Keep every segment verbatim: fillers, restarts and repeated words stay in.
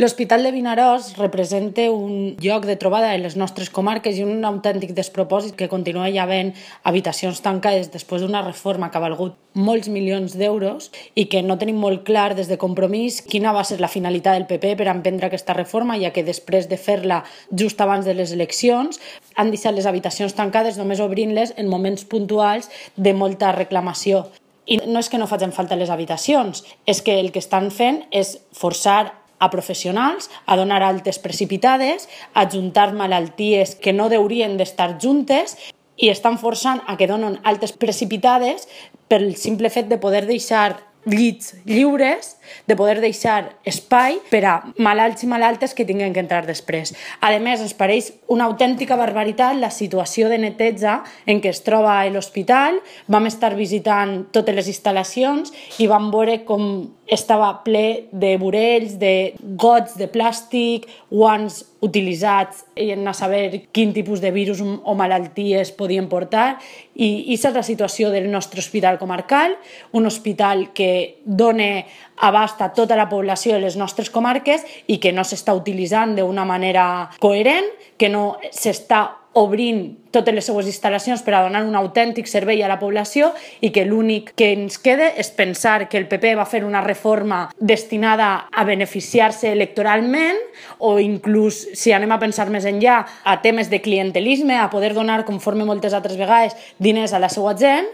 L'Hospital de Vinaròs representa un lloc de trobada en les nostres comarques i un autèntic despropòsit que continua hi havent habitacions tancades després d'una reforma que ha valgut molts milions d'euros i que no tenim molt clar des de Compromís quina va ser la finalitat del P P per emprendre aquesta reforma, ja que després de fer-la just abans de les eleccions han deixat les habitacions tancades només obrint-les en moments puntuals de molta reclamació. I no és que no facin falta les habitacions, és que el que estan fent és forçar a professionals a donar altes precipitades, a juntar malalties que no haurien d'estar juntes i estan forçant a que donen altes precipitades pel simple fet de poder deixar llits lliures, de poder deixar espai per a malalts i malaltes que tinguin que entrar després. A més, ens pareix una autèntica barbaritat la situació de neteja en què es troba l'hospital. Vam estar visitant totes les instal·lacions i vam veure com estava ple de vorells, de gots de plàstic, guants utilitzats i a saber quin tipus de virus o malalties podien portar. I aquesta és la situació del nostre hospital comarcal, un hospital que dona abast a tota la població de les nostres comarques i que no s'està utilitzant d'una manera coherent, que no s'està obrint totes les seues instal·lacions per a donar un autèntic servei a la població i que l'únic que ens queda és pensar que el P P va fer una reforma destinada a beneficiar-se electoralment o inclús, si anem a pensar més enllà, a temes de clientelisme, a poder donar, conforme moltes altres vegades, diners a la seva gent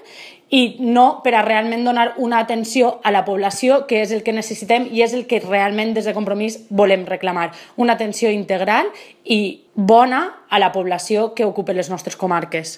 i no per a realment donar una atenció a la població, que és el que necessitem i és el que realment des de Compromís volem reclamar. Una atenció integral i bona a la població que ocupa les nostres comarques.